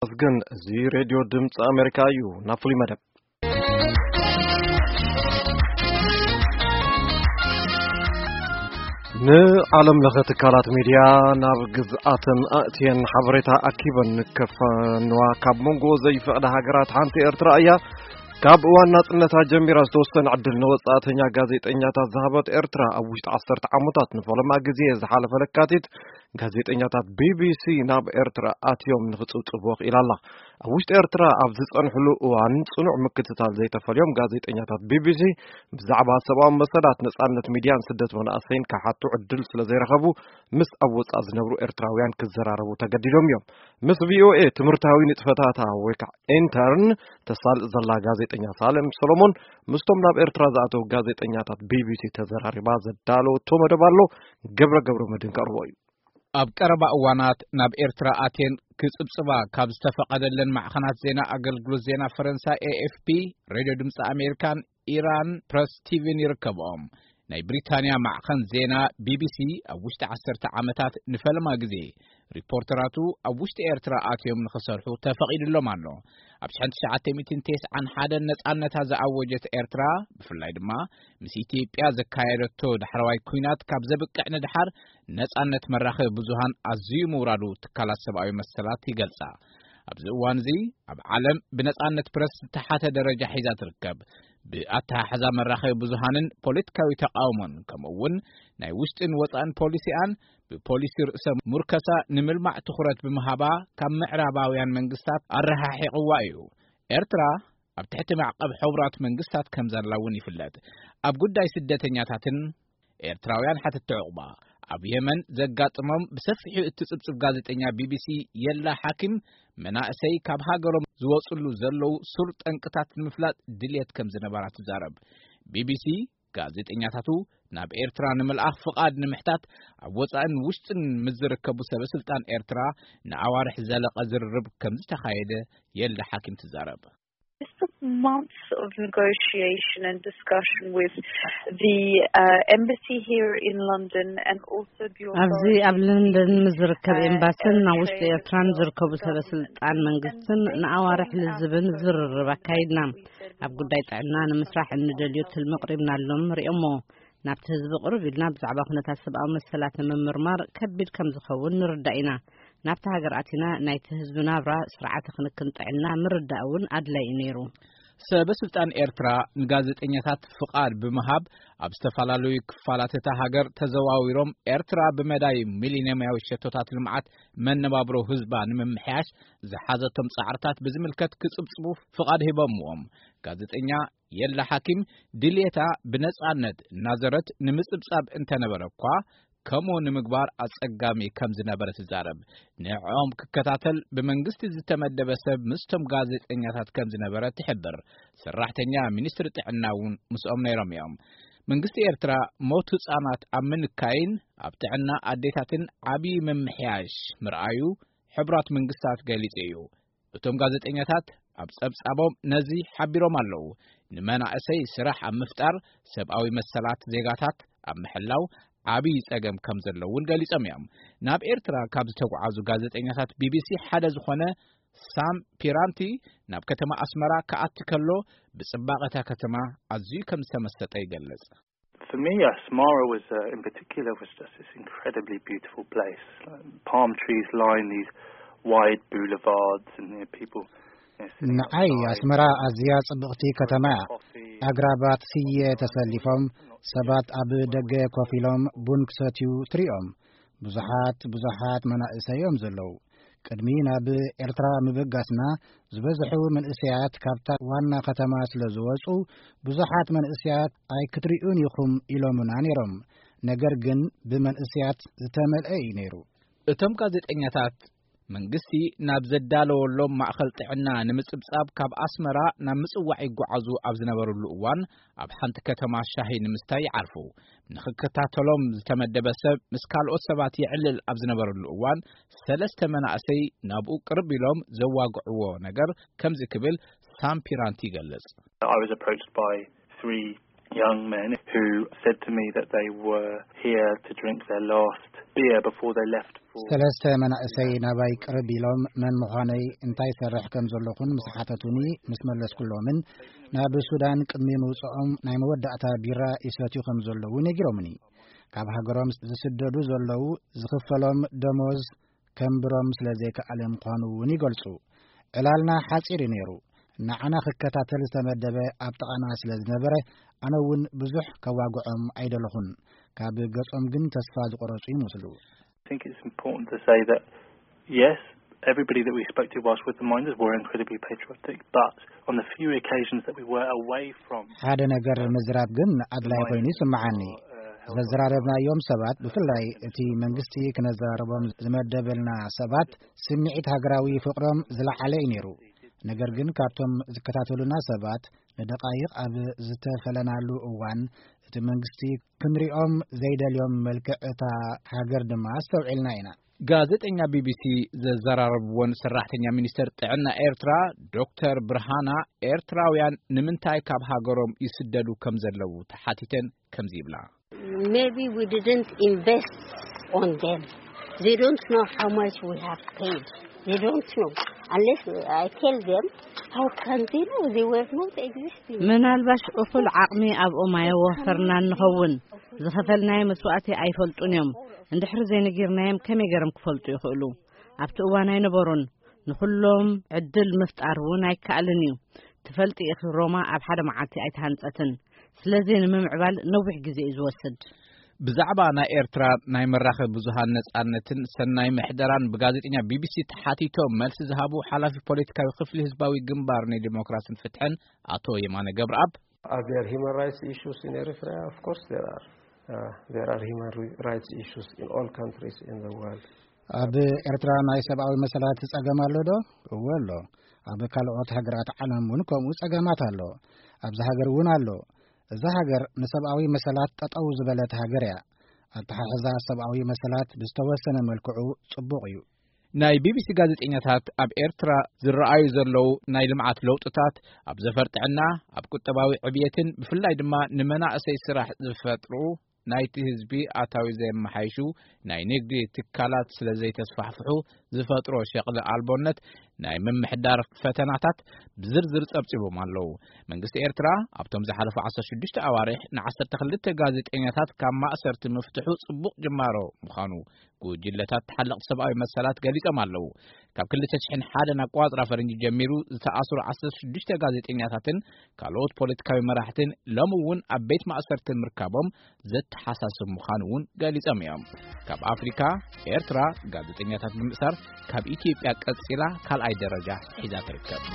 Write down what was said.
ኣመስግን። እዚ ሬድዮ ድምፂ ኣሜሪካ እዩ። ናብ ፍሉይ መደብ። ንዓለም ለኸ ትካላት ሚድያ ናብ ግዝኣተን ኣእትየን ሓበሬታ ኣኪበን ከፋንዋ ካብ መንጎ ዘይፈቕዳ ሃገራት ሓንቲ ኤርትራ እያ። ካብ እዋን ናጽነታ ጀሚራ ዝተወሰነ ዕድል ንወጻእተኛ ጋዜጠኛታት ዝሃበት ኤርትራ፣ ኣብ ውሽጢ ዓሰርተ ዓመታት ንፈለማ ግዜ ዝሓለፈ ለካቲት ጋዜጠኛታት ቢቢሲ ናብ ኤርትራ ኣትዮም ንኽጽብጽቡ ክኢላ ኣላ። ኣብ ውሽጢ ኤርትራ ኣብ ዝጸንሕሉ እዋን ጽኑዕ ምክትታል ዘይተፈልዮም ጋዜጠኛታት ቢቢሲ ብዛዕባ ሰብኣዊ መሰላት፣ ነጻነት ሚድያን ስደት መናእሰይን ክሓቱ ዕድል ስለ ዘይረኸቡ፣ ምስ ኣብ ወጻኢ ዝነብሩ ኤርትራውያን ክዘራረቡ ተገዲዶም እዮም። ምስ ቪኦኤ ትምህርታዊ ንጥፈታታ ወይ ከዓ ኢንተርን ተሳልጥ ዘላ ጋዜጠኛ ሳሌም ሰሎሞን፣ ምስቶም ናብ ኤርትራ ዝኣተዉ ጋዜጠኛታት ቢቢሲ ተዘራሪባ ዘዳለወቶ መደብ ኣሎ። ገብረ ገብረ መድህን ከቕርቦ እዩ። ኣብ ቀረባ እዋናት ናብ ኤርትራ ኣትየን ክጽብጽባ ካብ ዝተፈቐደለን ማዕኸናት ዜና ኣገልግሎት ዜና ፈረንሳ ኤኤፍፒ፣ ሬድዮ ድምፂ ኣሜሪካን ኢራን ፕረስ ቲቪን ይርከብኦም። ናይ ብሪታንያ ማዕኸን ዜና ቢቢሲ ኣብ ውሽጢ ዓሰርተ ዓመታት ንፈለማ ግዜ ሪፖርተራቱ ኣብ ውሽጢ ኤርትራ ኣትዮም ንኽሰርሑ ተፈቒድሎም ኣሎ። ኣብ ሽሕን ትሽዓተ ሚእትን ተስዓን ሓደን ነጻነታ ዝኣወጀት ኤርትራ፣ ብፍላይ ድማ ምስ ኢትዮጵያ ዘካየደቶ ዳሕረዋይ ኲናት ካብ ዘብቅዕ ንድሓር፣ ነጻነት መራኸቢ ብዙሃን ኣዝዩ ምውራዱ ትካላት ሰብኣዊ መሰላት ይገልጻ። ኣብዚ እዋን እዚ ኣብ ዓለም ብነጻነት ፕረስ ዝተሓተ ደረጃ ሒዛ ትርከብ። ብኣተሓሕዛ መራኸቢ ብዙሃንን ፖለቲካዊ ተቃውሞን፣ ከምኡ እውን ናይ ውሽጥን ወጻእን ፖሊሲኣን፣ ብፖሊሲ ርእሰ ሙርከሳ ንምልማዕ ትኹረት ብምሃባ ካብ ምዕራባውያን መንግስታት ኣረሓሒቕዋ እዩ። ኤርትራ ኣብ ትሕቲ ማዕቀብ ሕቡራት መንግስታት ከም ዘላ እውን ይፍለጥ። ኣብ ጉዳይ ስደተኛታትን ኤርትራውያን ሓተቲ ዕቑባ፣ ኣብ የመን ዘጋጥሞም ብሰፊሑ እትጽብጽብ ጋዜጠኛ ቢቢሲ የላ ሓኪም፣ መናእሰይ ካብ ሃገሮም ዝወጽሉ ዘለዉ ሱር ጠንቅታት ንምፍላጥ ድልየት ከም ዝነበራ ትዛረብ። ቢቢሲ ጋዜጠኛታቱ ናብ ኤርትራ ንምልኣኽ ፍቓድ ንምሕታት ኣብ ወጻእን ውሽጥን ምስ ዝርከቡ ሰበ ስልጣን ኤርትራ ንኣዋርሕ ዝዘለቐ ዝርርብ ከም ዝተኻየደ የላ ሓኪም ትዛረብ። It's been months of negotiation and discussion with the uh, embassy here in London and also the ኣብዚ authorities ኣብ ለንደን ምስ ዝርከብ ኤምባስን ኣብ ውሽጢ ኤርትራን ዝርከቡ ሰበ ስልጣን መንግስትን ንኣዋርሕ ልዝብን ዝርርብ ኣካይድና። ኣብ ጉዳይ ጥዕና ንምስራሕ እንደልዮ ትልሚ ኣቕሪብናሎም፣ ሪኦሞ። ናብቲ ህዝቢ ቅርብ ኢልና ብዛዕባ ኩነታት ሰብኣዊ መሰላት ንምምርማር ከቢድ ከም ዝኸውን ንርዳእ ኢና። ናብቲ ሃገር ኣቲና ናይቲ ህዝቢ ናብራ፣ ስርዓተ ክንክን ጥዕና ምርዳእ እውን ኣድላይ እዩ ነይሩ። ሰበ ስልጣን ኤርትራ ንጋዜጠኛታት ፍቓድ ብምሃብ ኣብ ዝተፈላለዩ ክፋላት እታ ሃገር ተዘዋዊሮም ኤርትራ ብመዳይ ሚሊንየማዊ ሸቶታት ልምዓት መነባብሮ ህዝባ ንምምሕያሽ ዝሓዘቶም ጻዕርታት ብዝምልከት ክጽብጽቡ ፍቓድ ሂቦምዎም። ጋዜጠኛ የላ ሓኪም ድልየታ ብነጻነት እናዘረት ንምጽብጻብ እንተነበረ እኳ፣ ከምኡ ንምግባር ኣጸጋሚ ከም ዝነበረ ትዛረብ። ንዕኦም ክከታተል ብመንግስቲ ዝተመደበ ሰብ ምስቶም ጋዜጠኛታት ከም ዝነበረ ትሕብር። ሰራሕተኛ ሚኒስትሪ ጥዕና እውን ምስኦም ነይሮም እዮም። መንግስቲ ኤርትራ ሞት ህጻናት ኣብ ምንካይን ኣብ ጥዕና ኣዴታትን ዓብዪ ምምሕያሽ ምርኣዩ ሕቡራት መንግስታት ገሊጹ እዩ። እቶም ጋዜጠኛታት ኣብ ጸብጻቦም ነዚ ሓቢሮም ኣለዉ። ንመናእሰይ ስራሕ ኣብ ምፍጣር፣ ሰብኣዊ መሰላት ዜጋታት ኣብ ምሕላው ዓብዪ ጸገም ከም ዘሎ እውን ገሊጾም እዮም። ናብ ኤርትራ ካብ ዝተጓዓዙ ጋዜጠኛታት ቢቢሲ ሓደ ዝኾነ ሳም ፒራንቲ፣ ናብ ከተማ ኣስመራ ክኣቲ ከሎ ብጽባቐ እታ ከተማ ኣዝዩ ከም ዝተመሰጠ ይገልጽ። For me, Asmara was uh, in particular was just this incredibly beautiful place. Like, palm trees line these wide boulevards, and you know, people, you know, sitting ንዓይ outside, ኣስመራ ኣዝያ ጽብቕቲ ከተማ እያ። Coffee. ኣግራባት ስየ ተሰሊፎም፣ ሰባት ኣብ ደገ ኮፍ ኢሎም ቡን ክሰትዩ ትሪኦም። ብዙሓት ብዙሓት መናእሰይ እዮም ዘለዉ። ቅድሚ ናብ ኤርትራ ምብጋስና፣ ዝበዝሑ መንእሰያት ካብታ ዋና ከተማ ስለ ዝወጹ፣ ብዙሓት መንእሰያት ኣይክትሪኡን ኢኹም ኢሎምና ነይሮም። ነገር ግን ብመንእሰያት ዝተመልአ እዩ ነይሩ። እቶም ጋዜጠኛታት መንግስቲ ናብ ዘዳለወሎም ማእከል ጥዕና ንምጽብጻብ ካብ ኣስመራ ናብ ምጽዋዕ ይጓዓዙ ኣብ ዝነበርሉ እዋን፣ ኣብ ሓንቲ ከተማ ሻሂ ንምስታይ ይዓርፉ። ንኽከታተሎም ዝተመደበ ሰብ ምስ ካልኦት ሰባት የዕልል ኣብ ዝነበረሉ እዋን፣ ሰለስተ መናእሰይ ናብኡ ቅርብ ኢሎም ዘዋግዕዎ ነገር ከምዚ ክብል ሳም ፒራንቲ ይገልጽ። I was approached by three young men who said to me that they were here to drink their last beer before they left for ሰለስተ መናእሰይ ናባይ ቅርብ ኢሎም፣ መን ምዃነይ፣ እንታይ ይሰርሕ ከም ዘለኹን ምስ ሓተቱኒ፣ ምስ መለስኩሎምን፣ ናብ ሱዳን ቅድሚ ምውጽኦም ናይ መወዳእታ ቢራ ይሰትዩ ከም ዘለዉ ነጊሮምኒ። ካብ ሃገሮም ዝስደዱ ዘለዉ፣ ዝኽፈሎም ደሞዝ ከንብሮም ስለ ዘይከኣለ ምዃኑ እውን ይገልጹ። ዕላልና ሓጺር እዩ ነይሩ። ንዓና ክከታተል ዝተመደበ ኣብ ጥቓና ስለ ዝነበረ፣ ኣነ እውን ብዙሕ ከዋግዖም ኣይደለኹን። ካብ ገጾም ግን ተስፋ ዝቆረጹ ይመስሉ። I think it's important to say that, yes, everybody that we spoke to whilst with the miners were incredibly patriotic, but on the few occasions that we were away from ሓደ ነገር ምዝራብ ግን ኣድላይ ኮይኑ ይስምዓኒ። ዘዘራረብናዮም ሰባት፣ ብፍላይ እቲ መንግስቲ ክነዘራርቦም ዝመደበልና ሰባት፣ ስምዒት ሃገራዊ ፍቕሮም ዝለዓለ እዩ ነይሩ። ነገር ግን ካብቶም ዝከታተሉና ሰባት ንደቓይቕ ኣብ ዝተፈለናሉ እዋን፣ እቲ መንግስቲ ክንሪኦም ዘይደልዮም መልክዕ እታ ሃገር ድማ ኣስተውዒልና ኢና። ጋዜጠኛ ቢቢሲ ዘዘራረብዎን ሰራሕተኛ ሚኒስተር ጥዕና ኤርትራ ዶክተር ብርሃና፣ ኤርትራውያን ንምንታይ ካብ ሃገሮም ይስደዱ ከም ዘለዉ ተሓቲተን ከምዚ ይብላ። Maybe we didn't invest on them. They don't know how much we have paid. They don't know. Unless I tell them, how can they know? They were not existing. ምናልባሽ እኹል ዓቕሚ ኣብኦም ኣየወፈርናን ንኸውን። ዝኸፈልናዮ መስዋእቲ ኣይፈልጡን እዮም። እንድሕሪ ዘይነጊርናዮም ከመይ ገይሮም ክፈልጡ ይኽእሉ? ኣብቲ እዋን ኣይነበሩን። ንኹሎም ዕድል ምፍጣር እውን ኣይከኣልን እዩ። ትፈልጢ ኢኺ፣ ሮማ ኣብ ሓደ መዓልቲ ኣይተሃንጸትን። ስለዚ ንምምዕባል ነዊሕ ግዜ እዩ ዝወስድ። ብዛዕባ ናይ ኤርትራ ናይ መራኸቢ ብዙሃን ነጻነትን ሰናይ ምሕደራን ብጋዜጠኛ ቢቢሲ ተሓቲቶም መልሲ ዝሃቡ ሓላፊ ፖለቲካዊ ክፍሊ ህዝባዊ ግንባር ንዲሞክራስን ፍትሕን ኣቶ የማነ ገብረኣብ፣ Are there human rights issues in Eritrea? Of course there are. Uh, there are human ri- rights issues in all countries in the world. ኣብ ኤርትራ ናይ ሰብኣዊ መሰላት ጸገም ኣሎ ዶ? እወ ኣሎ። ኣብ ካልኦት ሃገራት ዓለም እውን ከምኡ ጸገማት ኣሎ። ኣብዚ ሃገር እውን ኣሎ። እዛ ሃገር ንሰብኣዊ መሰላት ጠጠው ዝበለት ሃገር እያ። ኣተሓሕዛ ሰብኣዊ መሰላት ብዝተወሰነ መልክዑ ጽቡቕ እዩ። ናይ ቢቢሲ ጋዜጠኛታት ኣብ ኤርትራ ዝረኣዩ ዘለዉ ናይ ልምዓት ለውጥታት፣ ኣብ ዘፈር ጥዕና፣ ኣብ ቁጠባዊ ዕብየትን ብፍላይ ድማ ንመናእሰይ ስራሕ ዝፈጥሩ፣ ናይቲ ህዝቢ ኣታዊ ዘየመሓይሹ ናይ ንግዲ ትካላት ስለ ዘይተስፋሕፍሑ ዝፈጥሮ ሸቕሊ ኣልቦነት፣ ናይ ምምሕዳር ፈተናታት ብዝርዝር ጸብጺቦም ኣለዉ። መንግስቲ ኤርትራ ኣብቶም ዝሓለፉ ዓሰርተ ሽዱሽተ ኣዋርሕ ን ዓሰርተ ክልተ ጋዜጠኛታት ካብ ማእሰርቲ ምፍትሑ ጽቡቕ ጅማሮ ምዃኑ ጉጅለታት ተሓለቕቲ ሰብኣዊ መሰላት ገሊጾም ኣለዉ። ካብ ክልተ ሽሕን ሓደን ኣቋጽራ ፈረንጂ ጀሚሩ ዝተኣስሩ ዓሰርተ ሽዱሽተ ጋዜጠኛታትን ካልኦት ፖለቲካዊ መራሕትን ሎሚ እውን ኣብ ቤት ማእሰርቲ ምርካቦም ዘተሓሳስብ ምዃኑ እውን ገሊጾም እዮም። ካብ ኣፍሪካ፣ ኤርትራ ጋዜጠኛታት ብምእሳር ካብ ኢትዮጵያ ቀጺላ ካልኣይ ደረጃ ሒዛ ትርከብ።